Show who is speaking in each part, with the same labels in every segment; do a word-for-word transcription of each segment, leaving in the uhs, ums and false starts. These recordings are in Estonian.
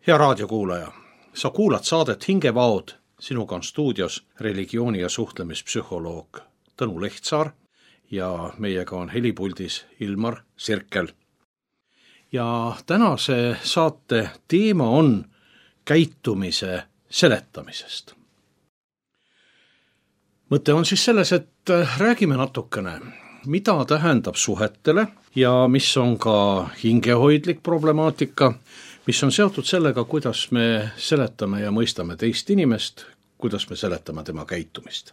Speaker 1: Hea raadiokuulaja, sa kuulad saadet Hingevaod, sinuga on stuudios religiooni- ja suhtlemispsühholoog Tõnu Lehtsaar ja meiega on helipuldis Ilmar Sirkel. Ja tänase saate teema on käitumise seletamisest. Mõte on siis selles, et räägime natukene, mida tähendab suhetele ja mis on ka hingehoidlik problemaatika, mis on seotud sellega, kuidas me seletame ja mõistame teist inimest, kuidas me seletame tema käitumist.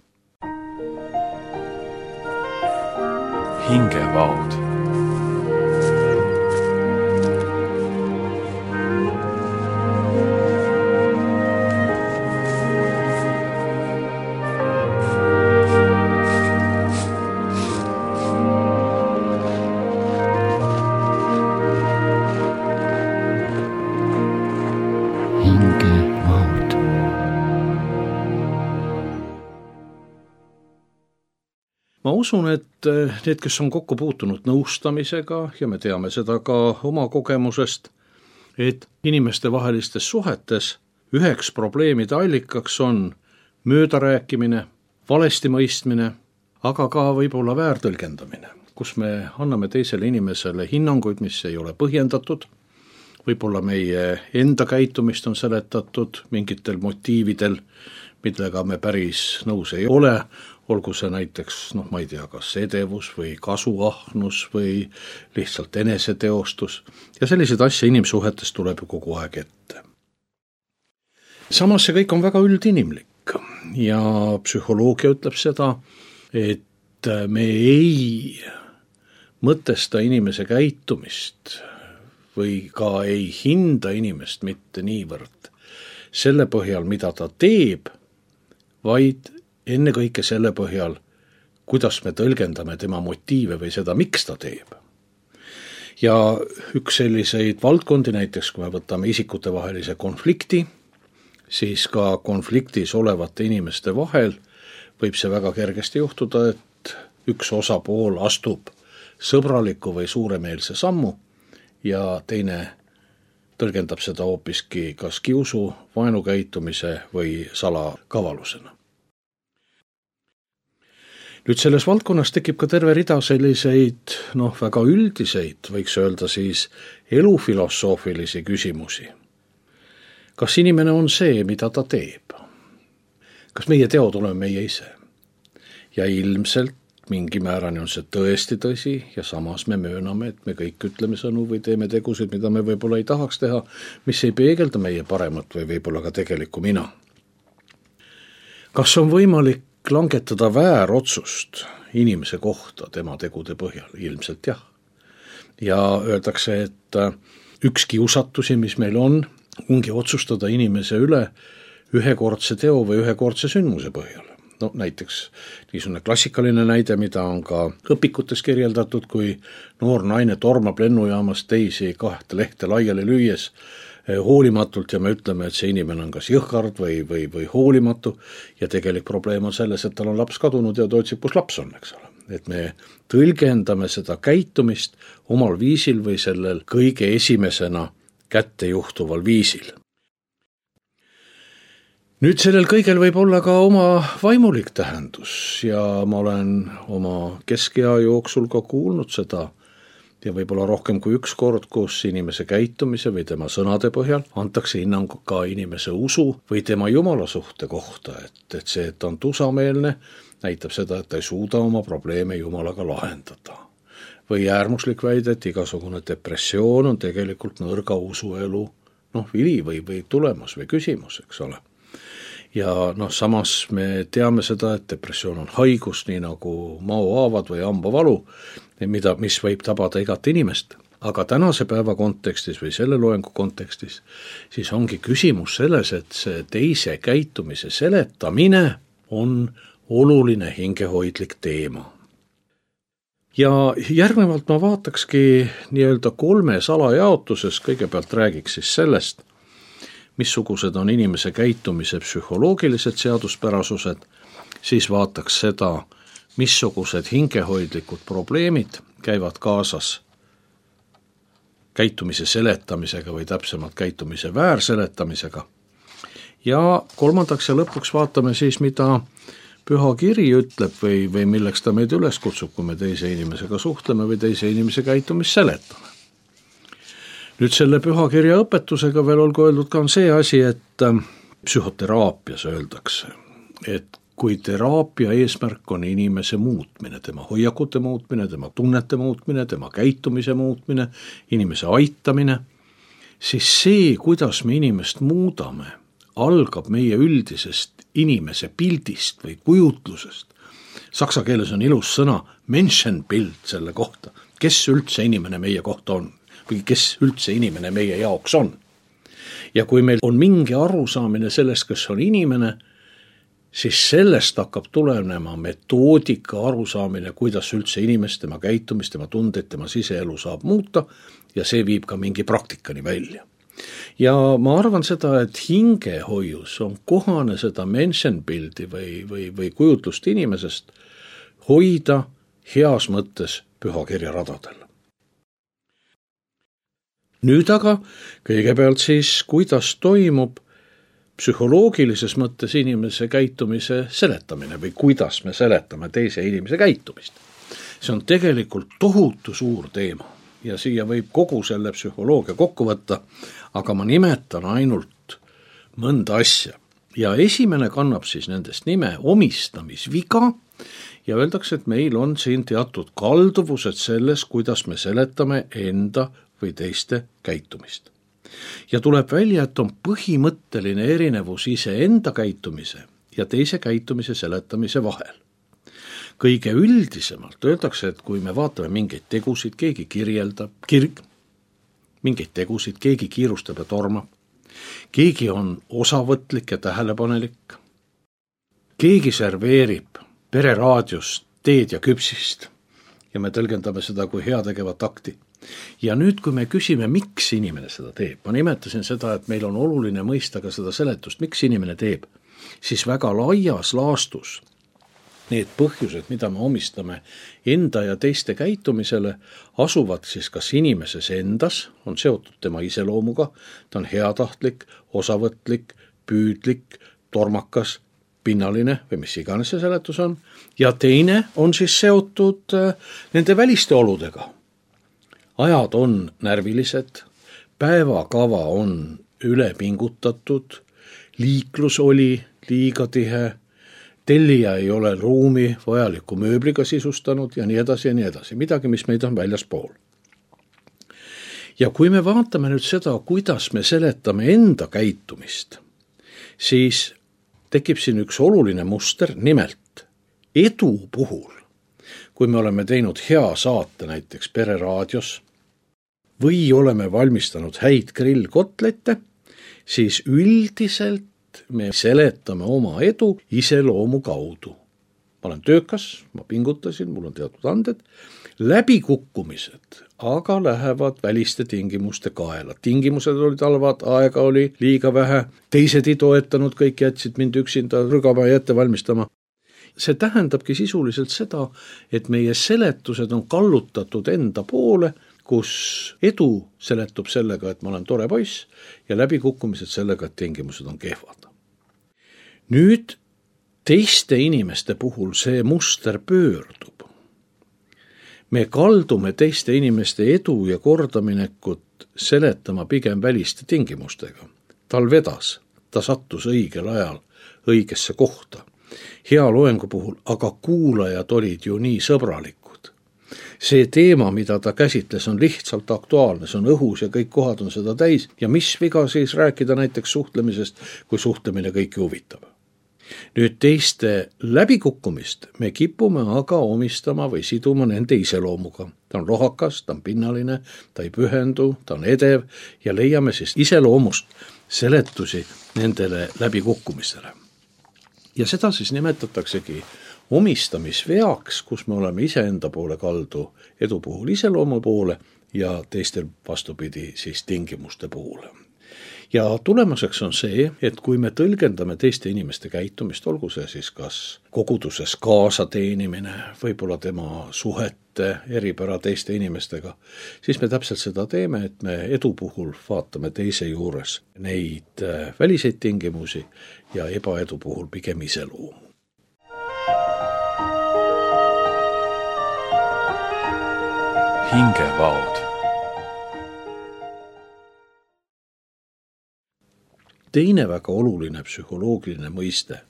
Speaker 2: Hingevaod.
Speaker 1: Ma usun, et need, kes on kokku puutunud nõustamisega ja me teame seda ka oma kogemusest, et inimeste vahelistes suhetes üheks probleemide allikaks on möödarääkimine, valesti mõistmine, aga ka võib-olla väärtõlgendamine, kus me anname teisele inimesele hinnanguid, mis ei ole põhjendatud, võib-olla meie enda käitumist on seletatud mingitel motiividel, millega me päris nõus ei ole, olgu see näiteks, noh ma ei tea, kas edevus või kasuahnus või lihtsalt eneseteostus ja selliseid asja inimsuhetes tuleb ju kogu aeg ette. Samas see kõik on väga üldinimlik ja psühholoogia ütleb seda, et me ei mõtesta inimese käitumist või ka ei hinda inimest mitte niivõrd selle põhjal, mida ta teeb, vaid ennekõike selle põhjal, kuidas me tõlgendame tema motiive või seda, miks ta teeb. Ja üks selliseid valdkondi näiteks, kui me võtame isikutevahelise konflikti, siis ka konfliktis olevate inimeste vahel võib see väga kergesti juhtuda, et üks osapool astub sõbraliku või suuremeelse sammu ja teine tõlgendab seda hoopiski kas kiusu, vaenukäitumise või salakavalusena. Nüüd selles valdkonnas tekib ka terve rida selliseid, noh, väga üldiseid, võiks öelda siis elufilosoofilisi küsimusi. Kas inimene on see, mida ta teeb? Kas meie teod oleme meie ise? Ja ilmselt mingi määrani on see tõesti tõsi ja samas me mööname, et me kõik ütleme sõnu või teeme tegusid, mida me võib-olla ei tahaks teha, mis ei peegelda meie paremat või võib-olla ka tegelikku mina. Kas on võimalik langetada väärotsust inimese kohta tema tegude põhjal? Ilmselt jah. Ja öeldakse, et üks kiusatusi, mis meil on, ongi otsustada inimese üle ühekordse teo või ühekordse sündmuse põhjal. No näiteks niisugune klassikaline näide, mida on ka õpikutes kirjeldatud, kui noor naine tormab lennujaamas teisi kahte lehte laiali lüües hoolimatult ja me ütleme, et see inimene on kas jõhkard või, või, või hoolimatu ja tegelik probleem on selles, et tal on laps kadunud ja ta otsib, kus laps on, eks ole. Et me tõlgendame seda käitumist omal viisil või sellel kõige esimesena kätte juhtuval viisil. Nüüd sellel kõigel võib olla ka oma vaimulik tähendus ja ma olen oma keskea jooksul ka kuulnud seda ja võib-olla rohkem kui üks kord, kus inimese käitumise või tema sõnade põhjal antakse hinnang ka inimese usu või tema jumala suhte kohta, et, et see, et ta on tusameelne, näitab seda, et ta ei suuda oma probleeme jumalaga lahendada. Või äärmuslik väide, et igasugune depressioon on tegelikult nõrga usuelu, noh, vili või, või tulemus või küsimus, eks ole. Ja noh, samas me teame seda, et depressioon on haigus, nii nagu maohaavad või hambavalu, mida, mis võib tabada igat inimest. Aga tänase päeva kontekstis või selle loengu kontekstis, siis ongi küsimus selles, et see teise käitumise seletamine on oluline hingehoidlik teema. Ja järgnevalt ma vaatakski nii-öelda kolmes alajaotuses, kõigepealt räägiks siis sellest, missugused on inimese käitumise psühholoogilised seaduspärasused, siis vaataks seda, missugused hingehoidlikud probleemid käivad kaasas käitumise seletamisega või täpsemalt käitumise väärseletamisega. Ja kolmandaks ja lõpuks vaatame siis, mida Püha Kiri ütleb või, või milleks ta meid üles kutsub, kui me teise inimesega suhtleme või teise inimese käitumist seletame. Nüüd selle Püha Kirja õpetusega veel olgu öeldud ka on see asi, et psühhoteraapias öeldakse, et kui teraapia eesmärk on inimese muutmine, tema hoiakute muutmine, tema tunnete muutmine, tema käitumise muutmine, inimese aitamine, siis see, kuidas me inimest muudame, algab meie üldisest inimese pildist või kujutlusest. Saksa keeles on ilus sõna Menschenbild selle kohta, kes üldse inimene meie kohta on või kes üldse inimene meie jaoks on. Ja kui meil on mingi arusaamine sellest, kes on inimene, siis sellest hakkab tulenema metoodika arusaamine, kuidas üldse inimest, tema käitumist, tema tundeid, tema siseelu saab muuta ja see viib ka mingi praktikani välja. Ja ma arvan seda, et hingehoius on kohane seda Menschenbildi või, või, või kujutlust inimesest hoida heas mõttes Püha Kirja radadel. Nüüd aga kõigepealt siis, kuidas toimub psühholoogilises mõttes inimese käitumise seletamine või kuidas me seletame teise inimese käitumist. See on tegelikult tohutu suur teema ja siia võib kogu selle psühholoogia kokku võtta, aga ma nimetan ainult mõnda asja. Ja esimene kannab siis nendest nime omistamisviga ja öeldakse, et meil on siin teatud kalduvused selles, kuidas me seletame enda või teiste käitumist. Ja tuleb välja, et on põhimõtteline erinevus iseenda käitumise ja teise käitumise seletamise vahel. Kõige üldisemalt öeldakse, et kui me vaatame mingeid tegusid, keegi kirjeldab, kirg, mingeid tegusid, keegi kiirustab ja tormab, keegi on osavõtlik ja tähelepanelik, keegi serveerib pereraadiost teed ja küpsist ja me tõlgendame seda kui heategevat akti. Ja nüüd, kui me küsime, miks inimene seda teeb, ma nimetasin seda, et meil on oluline mõista ka seda seletust, miks inimene teeb, siis väga laias laastus need põhjused, mida me omistame enda ja teiste käitumisele, asuvad siis kas inimeses endas, on seotud tema iseloomuga, ta on heatahtlik, osavõtlik, püüdlik, tormakas, pinnaline või mis iganes see seletus on, ja teine on siis seotud nende väliste oludega. Ajad on närvilised, päevakava on ülepingutatud, liiklus oli liiga tihe, tellija ei ole ruumi vajaliku mööbliga sisustanud ja nii edasi ja nii edasi, midagi, mis meid on väljaspool. Ja kui me vaatame nüüd seda, kuidas me seletame enda käitumist, siis tekib siin üks oluline muster, nimelt edu puhul, kui me oleme teinud hea saate näiteks pereraadios või oleme valmistanud häid grillkotlette, siis üldiselt me seletame oma edu iseloomu kaudu. Ma olen töökas, ma pingutasin, mul on teatud anded, läbikukkumised aga lähevad väliste tingimuste kaela. Tingimused olid halvad, aega oli liiga vähe, teised ei toetanud, kõik jätsid mind üksinda rügama ja ette valmistama. See tähendabki sisuliselt seda, et meie seletused on kallutatud enda poole, kus edu seletub sellega, et ma olen tore poiss ja läbikukkumised sellega, et tingimused on kehvad. Nüüd teiste inimeste puhul see muster pöördub. Me kaldume teiste inimeste edu ja kordaminekut seletama pigem väliste tingimustega. Tal vedas, ta sattus õigel ajal õigesse kohta. Hea loengu puhul, aga kuulajad olid ju nii sõbralikud. See teema, mida ta käsitles, on lihtsalt aktuaalne, see on õhus ja kõik kohad on seda täis ja mis viga siis rääkida näiteks suhtlemisest, kui suhtlemine kõiki huvitab. Nüüd teiste läbikukkumist me kipume aga omistama või siduma nende iseloomuga. Ta on rohakas, ta on pinnaline, ta ei pühendu, ta on edev ja leiame siis iseloomust seletusi nendele läbikukkumistele. Ja seda siis nimetataksegi omistamisveaks, kus me oleme iseenda poole kaldu edu puhul iseloomu poole ja teistel vastupidi siis tingimuste poole. Ja tulemuseks on see, et kui me tõlgendame teiste inimeste käitumist, olgu see siis kas koguduses kaasateenimine, võib-olla tema suhete mitte eripära teiste inimestega, siis me täpselt seda teeme, et me edu puhul vaatame teise juures neid väliseid tingimusi ja ebaedu puhul pigem iseloomu.
Speaker 2: Hingevaod.
Speaker 1: Teine väga oluline psühholoogiline mõiste,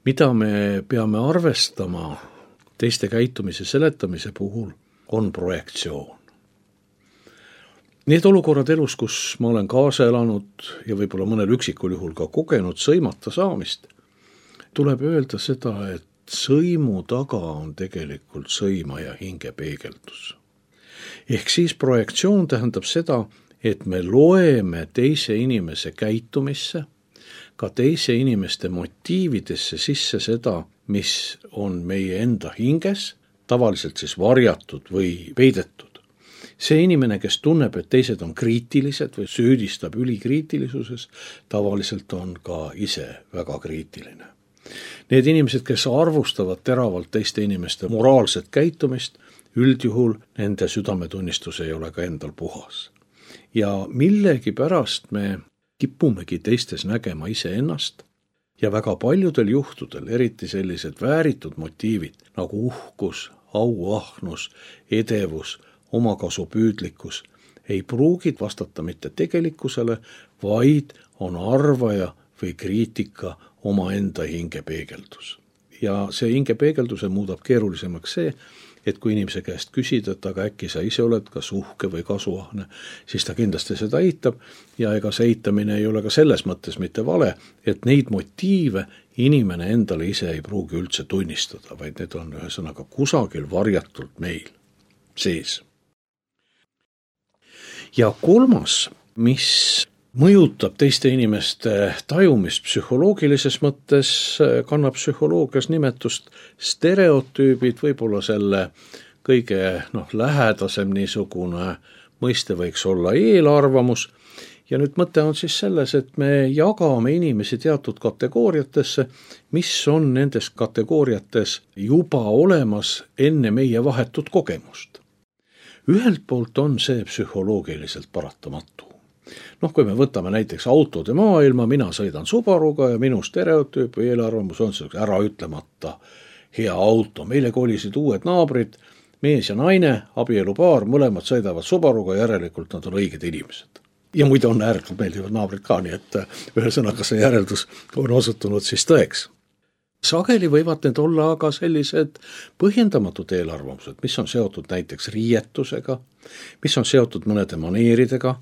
Speaker 1: mida me peame arvestama teiste käitumise seletamise puhul, on projektsioon. Need olukorrad elus, kus ma olen kaasa elanud ja võib-olla mõnel üksikul juhul ka kogenud sõimata saamist, tuleb öelda seda, et sõimu taga on tegelikult sõimaja hingepeegeldus. Ehk siis projektsioon tähendab seda, et me loeme teise inimese käitumisse, ka teise inimeste motiividesse sisse seda, mis on meie enda hinges, tavaliselt siis varjatud või peidetud. See inimene, kes tunneb, et teised on kriitilised või süüdistab ülikriitilisuses, tavaliselt on ka ise väga kriitiline. Need inimesed, kes arvustavad teravalt teiste inimeste moraalset käitumist, üldjuhul nende südametunnistus ei ole ka endal puhas. Ja millegi pärast me kipumegi teistes nägema iseennast ja väga paljudel juhtudel, eriti sellised vääritud motiivid nagu uhkus, auahnus, edevus, omakasupüüdlikkus ei pruugi vastata mitte tegelikkusele, vaid on arvaja või kriitika omaenda hingepeegeldus. Ja see hingepeegelduse muudab keerulisemaks see, et kui inimese käest küsida, et aga äkki sa ise oled kas uhke või kasuahne, siis ta kindlasti seda eitab ja ega see eitamine ei ole ka selles mõttes mitte vale, et neid motiive inimene endale ise ei pruugi üldse tunnistada, vaid need on ühesõnaga kusagil varjatult meil sees. Ja kolmas, mis mõjutab teiste inimeste tajumist psühholoogilises mõttes, kannab psühholoogias nimetust stereotüübid, võib-olla selle kõige noh, lähedasem niisugune mõiste võiks olla eelarvamus. Ja nüüd mõte on siis selles, et me jagame inimesi teatud kategooriatesse, mis on nendes kategooriates juba olemas enne meie vahetut kogemust. Ühelt poolt on see psühholoogiliselt paratamatu. Noh, kui me võtame näiteks autode maailma, mina sõidan Subaruga ja minu stereotüüp või eelarvamus on see ära ütlemata hea auto. Meile kolisid uued naabrid, mees ja naine, abielupaar, mõlemad sõidavad Subaruga, järelikult nad on õiged inimesed. Ja muide on ääretult meeldivad naabrid ka, nii et ühesõnaga see järeldus on osutunud siis tõeks. Sageli võivad need olla aga sellised põhjendamatud eelarvamused, mis on seotud näiteks riietusega, mis on seotud mõnede maneeridega,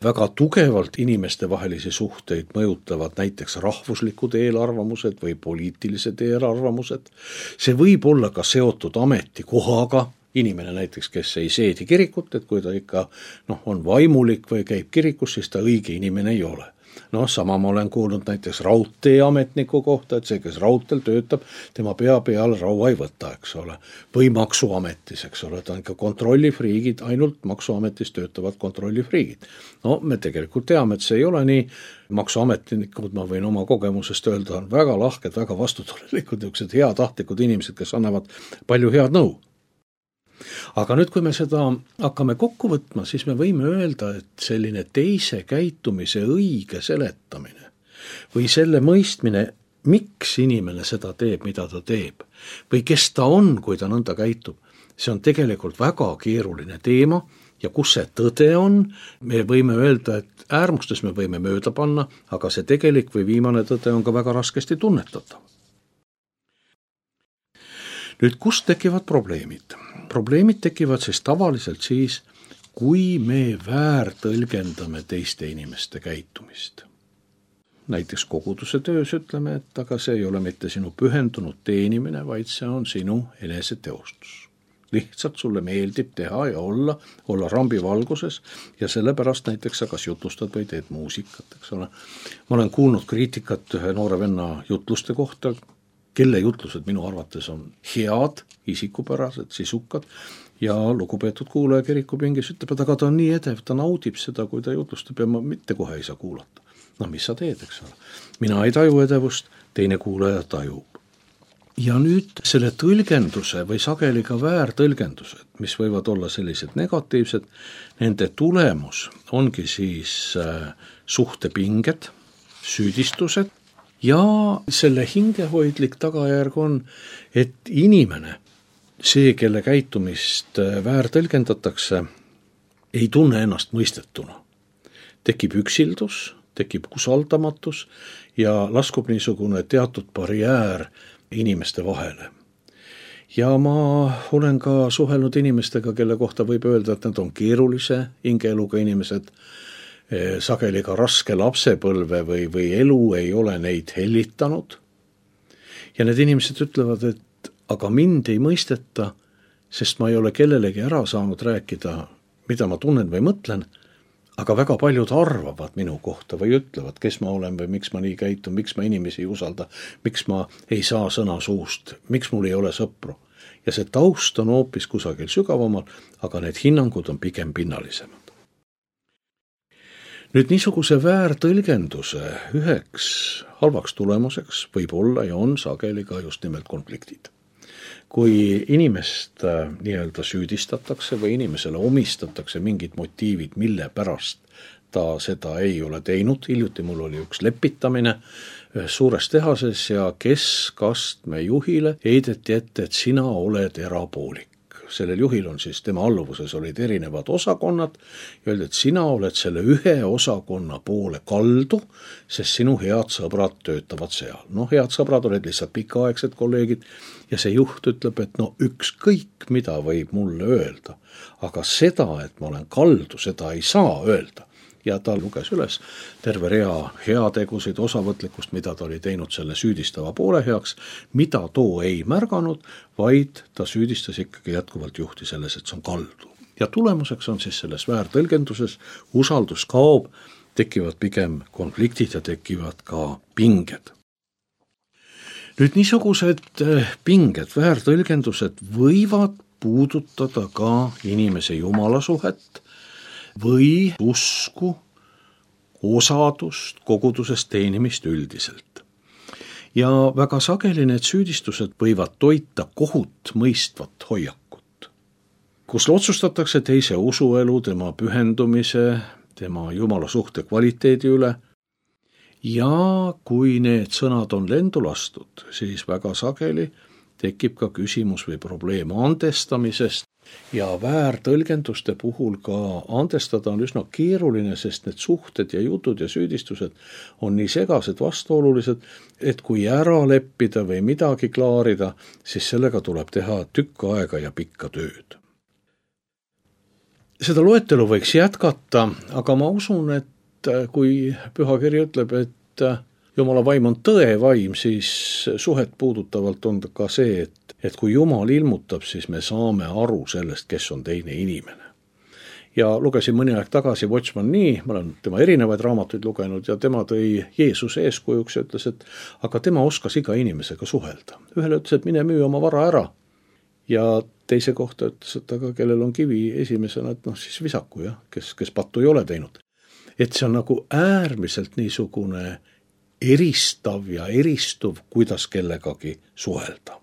Speaker 1: väga tugevalt inimeste vahelisi suhteid mõjutavad näiteks rahvuslikud eelarvamused või poliitilised eelarvamused. See võib olla ka seotud ametikohaga, inimene näiteks, kes ei seedi kirikut, et kui ta ikka noh, on vaimulik või käib kirikus, siis ta õige inimene ei ole. No sama ma olen kuulnud näiteks raudteeametniku kohta, et see, kes raudteel töötab, tema pea peal raua ei võta, eks ole. Või maksuametis, eks ole, ta on ikka kontrollifriigid, ainult maksuametis töötavad kontrollifriigid. No me tegelikult teame, et see ei ole nii. Maksuametnikud, ma võin oma kogemusest öelda, on väga lahked, väga vastutulelikud, niisugused heatahtlikud inimesed, kes annavad palju head nõu. Aga nüüd, kui me seda hakkame kokku võtma, siis me võime öelda, et selline teise käitumise õige seletamine või selle mõistmine, miks inimene seda teeb, mida ta teeb, või kes ta on, kui ta nõnda käitub, see on tegelikult väga keeruline teema ja kus see tõde on, me võime öelda, et äärmustes me võime mööda panna, aga see tegelik või viimane tõde on ka väga raskesti tunnetatav. Nüüd, kust tekivad probleemid? Probleemid tekivad siis tavaliselt siis, kui me väärtõlgendame teiste inimeste käitumist. Näiteks koguduse töös ütleme, et aga see ei ole mitte sinu pühendunud teenimine, vaid see on sinu eneseteostus. Lihtsalt sulle meeldib teha ja olla, olla rambi valguses ja sellepärast näiteks sa kas jutlustad või teed muusikat, eks ole. Ma olen kuulnud kriitikat ühe noore venna jutluste kohta, kelle jutlused minu arvates on head, isikupärased, sisukad ja lugupeetud kuulaja kirikupingis ütleb, et aga ta on nii edev, ta naudib seda, kui ta jutlustab ja ma mitte kohe ei saa kuulata. No mis sa teed, eks ole? Mina ei taju edevust, teine kuulaja tajub. ja nüüd selle tõlgenduse või sageli ka väärtõlgendused, mis võivad olla sellised negatiivsed, nende tulemus ongi siis suhtepinged, süüdistused ja selle hingehoidlik tagajärg on, et inimene, see, kelle käitumist väärtõlgendatakse, ei tunne ennast mõistetuna. Tekib üksildus, tekib usaldamatus ja laskub niisugune teatud barjäär inimeste vahele. Ja ma olen ka suhelnud inimestega, kelle kohta võib öelda, et nad on keerulise hingeeluga inimesed, sageli ka raske lapsepõlve või, või elu ei ole neid hellitanud. Ja need inimesed ütlevad, et aga mind ei mõisteta, sest ma ei ole kellelegi ära saanud rääkida, mida ma tunnen või mõtlen, aga väga paljud arvavad minu kohta või ütlevad, kes ma olen või miks ma nii käitun, miks ma inimesi ei usalda, miks ma ei saa sõna suust, miks mul ei ole sõpru. Ja see taust on hoopis kusagil sügavamal, aga need hinnangud on pigem pinnalisemad. Nüüd niisuguse väärtõlgenduse üheks halvaks tulemuseks võib olla ja on sageli ka just nimelt konfliktid. Kui inimest nii-öelda süüdistatakse või inimesele omistatakse mingid motiivid, mille pärast ta seda ei ole teinud, hiljuti mul oli üks lepitamine suures tehases ja keskastme juhile heideti ette, et sina oled erapoolik. Sellel juhil on siis, tema alluvuses olid erinevad osakonnad ja öeldi, et sina oled selle ühe osakonna poole kaldu, sest sinu head sõbrad töötavad seal. No head sõbrad olid lihtsalt pikaaegsed kolleegid ja see juht ütleb, et no ükskõik mida võib mulle öelda, aga seda, et ma olen kaldu, seda ei saa öelda. Ja ta luges üles terve rea heategusid, osavõtlikkust, mida ta oli teinud selle süüdistava poole heaks, mida too ei märganud, vaid ta süüdistas ikkagi jätkuvalt juhti selles, et see on kaldu. Ja tulemuseks on siis selles väärtõlgenduses, usaldus kaob, tekivad pigem konfliktid ja tekivad ka pinged. Nüüd niisugused pinged, väärtõlgendused võivad puudutada ka inimese jumalasuhet, või usku, osadust, kogudusest teenimist üldiselt. Ja väga sageli need süüdistused võivad toita kohut mõistvat hoiakut, kus otsustatakse teise usuelu, tema pühendumise, tema jumala suhte kvaliteedi üle. Ja kui need sõnad on lendu lastud, siis väga sageli tekib ka küsimus või probleem andestamisest. Ja väärtõlgenduste puhul ka andestada on üsna keeruline, sest need suhted ja jutud ja süüdistused on nii segased, vastuolulised, et kui ära leppida või midagi klaarida, siis sellega tuleb teha tükk aega ja pikka tööd. Seda loetelu võiks jätkata, aga ma usun, et kui pühakiri ütleb, et Jumala vaim on tõe vaim, siis suhet puudutavalt on ka see, et, et kui Jumal ilmutab, siis me saame aru sellest, kes on teine inimene. Ja lugesin mõni aeg tagasi Watchman Nee, ma olen tema erinevaid raamatuid lugenud ja tema tõi Jeesuse eeskujuks ja ütles, et aga tema oskas iga inimesega suhelda. Ühele ütles, et mine müü oma vara ära ja teise kohta ütles, et aga kellel on kivi esimesena, et noh siis visaku, jah, kes, kes pattu ei ole teinud. Et see on nagu äärmiselt niisugune eristav ja eristuv, kuidas kellegagi suhelda.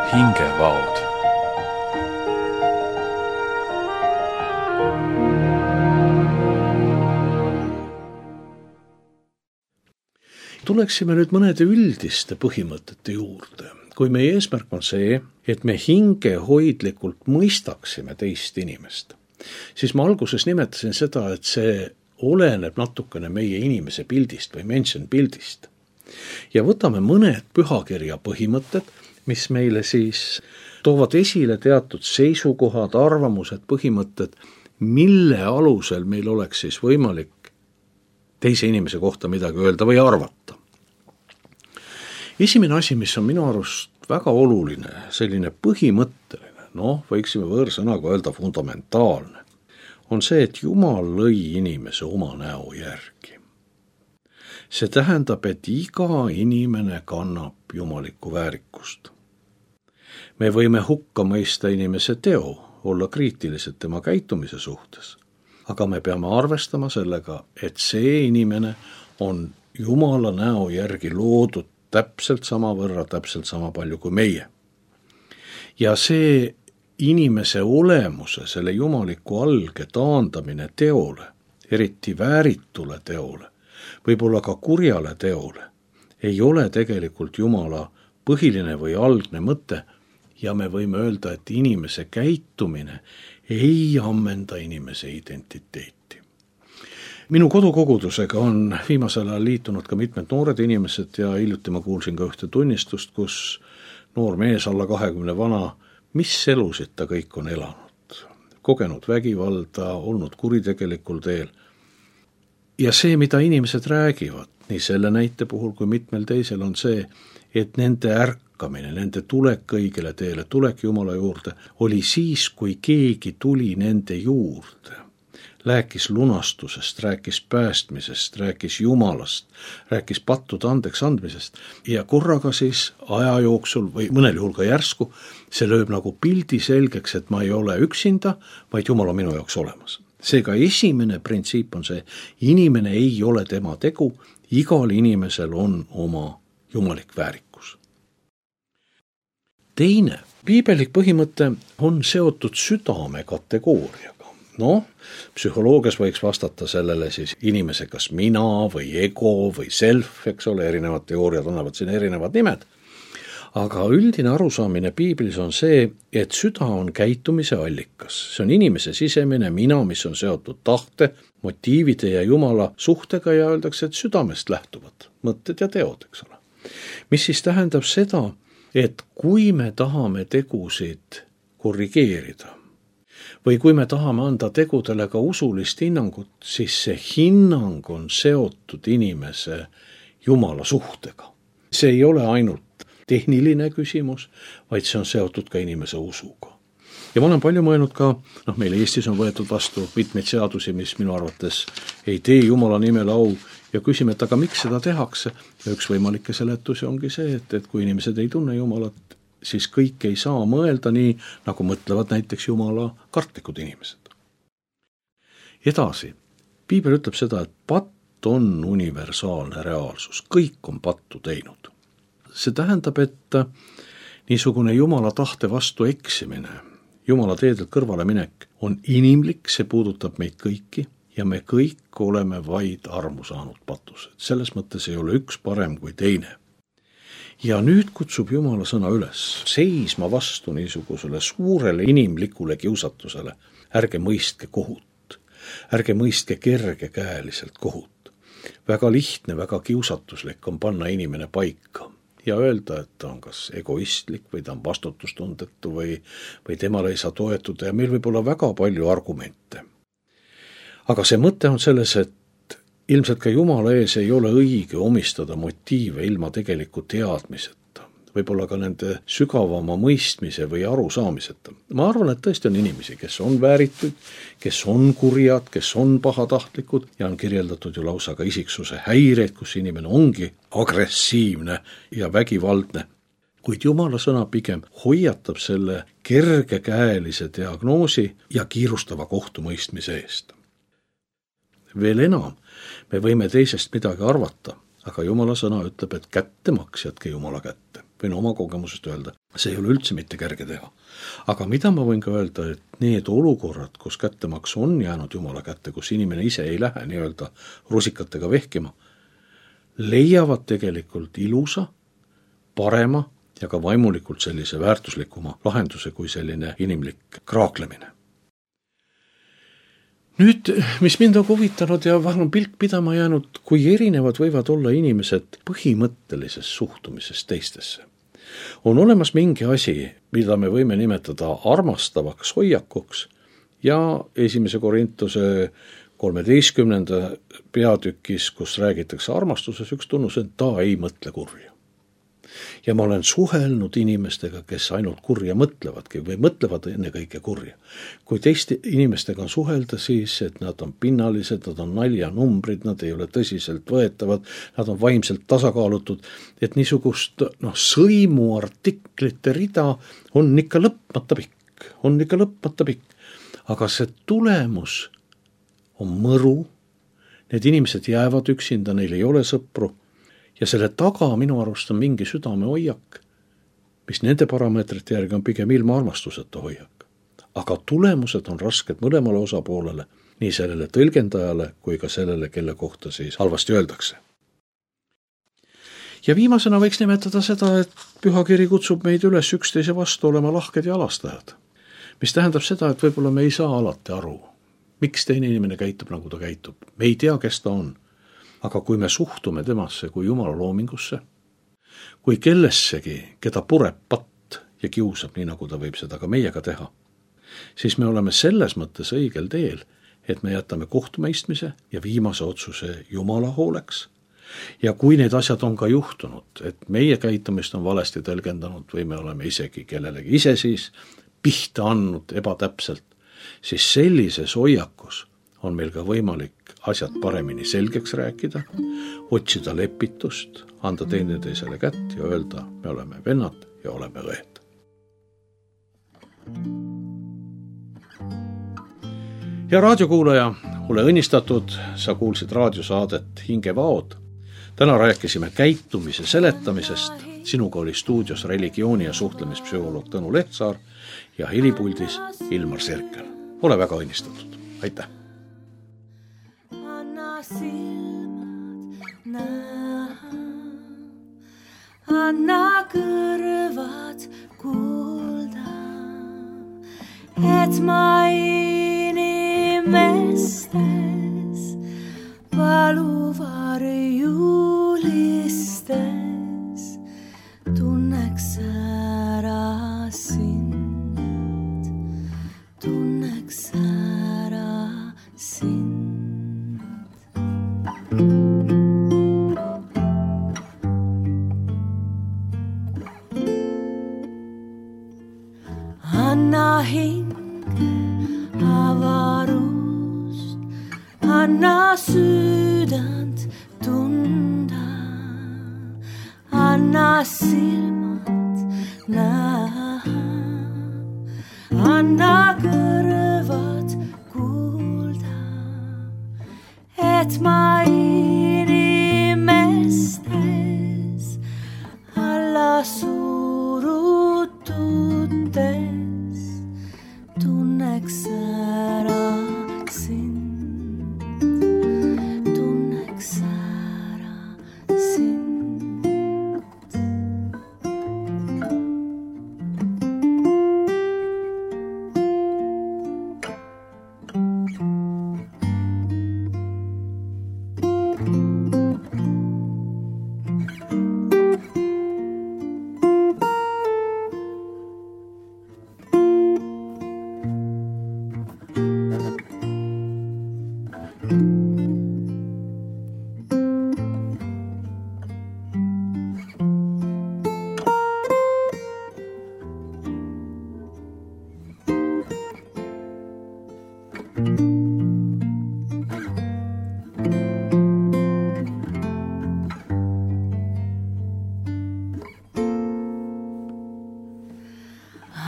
Speaker 2: Hingevaod.
Speaker 1: Tuleksime nüüd mõnede üldiste põhimõtete juurde. Kui meie eesmärk on see, et me hingehoidlikult mõistaksime teist inimest, siis ma alguses nimetasin seda, et see oleneb natukene meie inimese pildist või mention pildist. Ja võtame mõned pühakirja põhimõtted, mis meile siis toovad esile teatud seisukohad, arvamused, põhimõtted, mille alusel meil oleks siis võimalik teise inimese kohta midagi öelda või arvata. Esimene asi, mis on minu arust väga oluline, selline põhimõtteline, noh, võiksime võõrsõnaga öelda fundamentaalne, on see, et Jumal lõi inimese oma näo järgi. See tähendab, et iga inimene kannab jumalikku väärikust. Me võime hukka mõista inimese teo, olla kriitilised tema käitumise suhtes, aga me peame arvestama sellega, et see inimene on Jumala näo järgi loodud täpselt sama võrra, täpselt sama palju kui meie. Ja see inimese olemuse, selle jumaliku alge taandamine teole, eriti vääritule teole, võib-olla ka kurjale teole, ei ole tegelikult Jumala põhiline või algne mõte ja me võime öelda, et inimese käitumine ei ammenda inimese identiteeti. Minu kodukogudusega on viimasel ajal liitunud ka mitmed noored inimesed ja hiljuti ma kuulsin ka ühte tunnistust, kus noor mees alla kahekümne vana, mis elusid ta kõik on elanud, kogenud vägivalda, olnud kuritegelikul teel. Ja see, mida inimesed räägivad, nii selle näite puhul kui mitmel teisel on see, et nende ärkamine, nende tulek õigele teele, tulek Jumala juurde, oli siis, kui keegi tuli nende juurde. Rääkis lunastusest, rääkis päästmisest, rääkis Jumalast, rääkis pattude andeks andmisest ja korraga siis aja jooksul või mõnel juhul ka järsku, see lööb nagu pildi selgeks, et ma ei ole üksinda, vaid Jumal on minu jaoks olemas. Seega esimene printsiip on see, inimene ei ole tema tegu, igal inimesel on oma jumalik väärikus. Teine, piibelik põhimõte on seotud südame kategooriaga. No, psühholoogias võiks vastata sellele siis inimese kas mina või ego või self, eks ole, erinevad teooriad annavad siin erinevad nimed. Aga üldine arusaamine piiblis on see, et süda on käitumise allikas. See on inimese sisemine mina, mis on seotud tahte, motiivide ja Jumala suhtega ja öeldakse, et südamest lähtuvad mõtted ja teod, eks ole. Mis siis tähendab seda, et kui me tahame tegusid korrigeerida või kui me tahame anda tegudele ka usulist hinnangut, siis see hinnang on seotud inimese Jumala suhtega. See ei ole ainult tehniline küsimus, vaid see on seotud ka inimese usuga. Ja ma olen palju mõelnud ka, noh, meil Eestis on võetud vastu mitmeid seadusi, mis minu arvates ei tee Jumala nimele au ja küsime, et aga miks seda tehakse? Ja üks võimalikke seletusi ongi see, et, et kui inimesed ei tunne Jumalat, siis kõik ei saa mõelda nii, nagu mõtlevad näiteks Jumala kartlikud inimesed. Edasi, piibel ütleb seda, et patt on universaalne reaalsus, kõik on pattu teinud. See tähendab, et niisugune Jumala tahte vastu eksimine, Jumala teedelt kõrvale minek on inimlik, see puudutab meid kõiki ja me kõik oleme vaid armu saanud patused. Selles mõttes ei ole üks parem kui teine. Ja nüüd kutsub Jumala sõna üles seisma vastu niisugusele suurele inimlikule kiusatusele. Ärge mõistke kohut, ärge mõistke kergekäeliselt kohut. Väga lihtne, väga kiusatuslik on panna inimene paika ja öelda, et ta on kas egoistlik või ta on vastutustundetu või, või temale ei saa toetuda ja meil võib olla väga palju argumente. Aga see mõte on selles, et ilmselt ka Jumala ees ei ole õige omistada motiive ilma tegeliku teadmiseta, võib-olla ka nende sügavama mõistmise või arusaamiseta. Ma arvan, et tõesti on inimesi, kes on vääritud, kes on kurjad, kes on pahatahtlikud ja on kirjeldatud ju lausa ka isiksuse häireid, kus inimene ongi agressiivne ja vägivaldne. Kuid Jumala sõna pigem hoiatab selle kergekäelise diagnoosi ja kiirustava kohtumõistmise eest. Veel enam, me võime teisest midagi arvata, aga Jumala sõna ütleb, et kättemaks jätke Jumala kätte. Võin oma kogemusest öelda, see ei ole üldse mitte kerge teha. Aga mida ma võin ka öelda, et need olukorrad, kus kättemaks on jäänud Jumala kätte, kus inimene ise ei lähe nii-öelda rusikatega vehkima, leiavad tegelikult ilusa, parema ja ka vaimulikult sellise väärtuslikuma lahenduse kui selline inimlik kraaklemine. Nüüd, mis mind on huvitanud ja vahel on pilk pidama jäänud, kui erinevad võivad olla inimesed põhimõttelises suhtumises teistesse. On olemas mingi asi, mida me võime nimetada armastavaks hoiakuks ja esimese Korintuse kolmeteistkümnenda peatükis, kus räägitakse armastuses, üks tunnus, et ta ei mõtle kurja. Ja ma olen suhelnud inimestega, kes ainult kurja mõtlevadki või mõtlevad ennekõike kurja. Kui teiste inimestega on suhelda, siis et nad on pinnalised, nad on naljanumbrid, nad ei ole tõsiselt võetavad, nad on vaimselt tasakaalutud, et niisugust noh, sõimuartiklite rida on ikka lõpmata pikk, on ikka lõpmata pikk. Aga see tulemus on mõru, need inimesed jäävad üksinda, neil ei ole sõpru ja selle taga minu arust on mingi südamehoiak, mis nende parameetrite järgi on pigem ilma armastuseta hoiak. Aga tulemused on rasked mõlemale osapoolele, nii sellele tõlgendajale kui ka sellele, kelle kohta siis halvasti öeldakse. Ja viimasena võiks nimetada seda, et pühakiri kutsub meid üles üksteise vastu olema lahked ja alastajad, mis tähendab seda, et võib-olla me ei saa alati aru, miks teine inimene käitub, nagu ta käitub. Me ei tea, kes ta on. Aga kui me suhtume temasse kui Jumala loomingusse, kui kellessegi, keda pureb patt ja kiusab, nii nagu ta võib seda ka meiega teha, siis me oleme selles mõttes õigel teel, et me jätame kohtumõistmise ja viimase otsuse Jumala hooleks. Ja kui need asjad on ka juhtunud, et meie käitumist on valesti tõlgendanud või me oleme isegi kellelegi ise siis pihta andnud ebatäpselt, siis sellises hoiakus on meil ka võimalik asjad paremini selgeks rääkida, otsida lepitust, anda teineteisele kätt ja öelda, me oleme vennad ja oleme õed. Ja raadiokuulaja, ole õnnistatud, sa kuulsid raadiosaadet Hingevaod. Täna rääkisime käitumise seletamisest. Sinuga oli stuudios religiooni- ja suhtlemispsühholoog Tõnu Lehtsaar ja helipuldis Ilmar Serkel. Ole väga õnnistatud. Aitäh! Anna silmad näha, anna kõrvad kuulda, et ma inimestes valuvarjulistes tunneks ära sind, tunneks ära sind. Anna hinge avarust, anna sydänt tunda, anna silmad näha, anna kõrvad kuulda, et ma inimestes alla surututes tunneks ära sind, tunneks ära sind.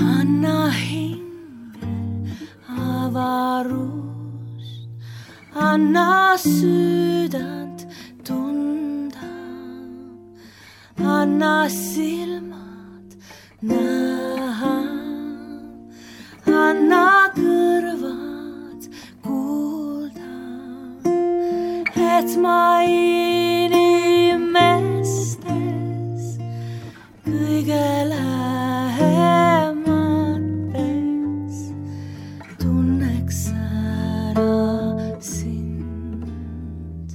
Speaker 1: Anna hinge avarust, anna sydänt tunda, anna silmad näha, anna kõrvad kuulda, et ma inimestes kõige lähemates tunneks ära sind,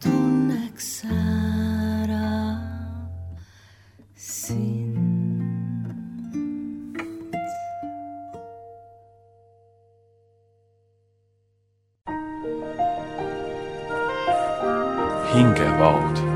Speaker 1: tunneks ära sind.
Speaker 2: Hingevaod.